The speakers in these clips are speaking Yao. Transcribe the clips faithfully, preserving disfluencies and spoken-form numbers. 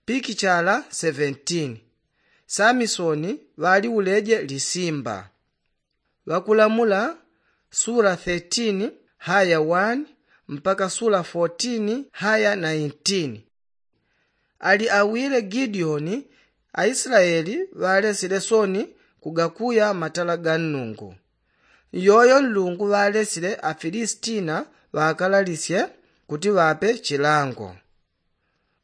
Pikichala seventeen. Samisoni ŵaliuleje lisimba. Ŵakulamula sula thirteen haya one mpaka sula fourteen haya nineteen. Ali awile gideoni, aislaeli ŵalesile soni kugakuya matala ga nnungu. Iyoyo nlungu ŵalesile afilistina ŵakalalisye kuti ŵape chilango.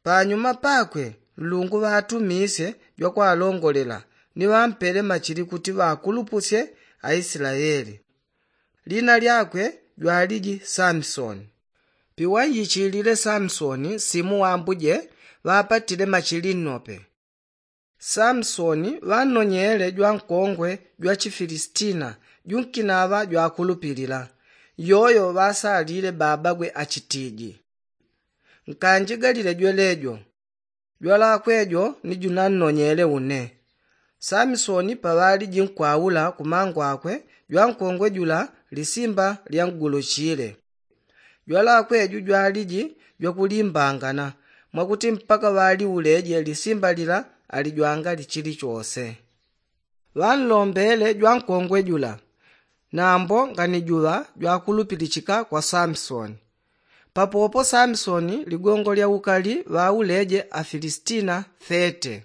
Panyuma pakwe nlungu ŵatumisye jwakwalongolela ni ŵampele machili kuti ŵakulupusye aislaeli. Lina lyakwe jwaliji samisoni. Piwanjichilile samisoni simu wambuje ŵapatile machili nnope. Samisoni ŵannonyele jwankongwe jwachifilistina junkinaŵa jwakulupilila, yoyo ŵasalile babagwe achitiji. Nkanjigalile jwelejo, jwalakwe jo ni junannonyele une. Samisoni paŵaliji nkwaula kumangwakwe jwankongwe jula lisimba lyanguluchile. Jwalakwe ju jwaliji jwakulimbangana mwakuti mpaka ŵaliuleje lisimba lila alijwangali chilichose. Ŵanlombele jwankongwe jula, nambo nganijuŵa jwakulupilichika kwa samisoni. Papopo samisoni ligongo lya ukali ŵauleje afilistina thirty.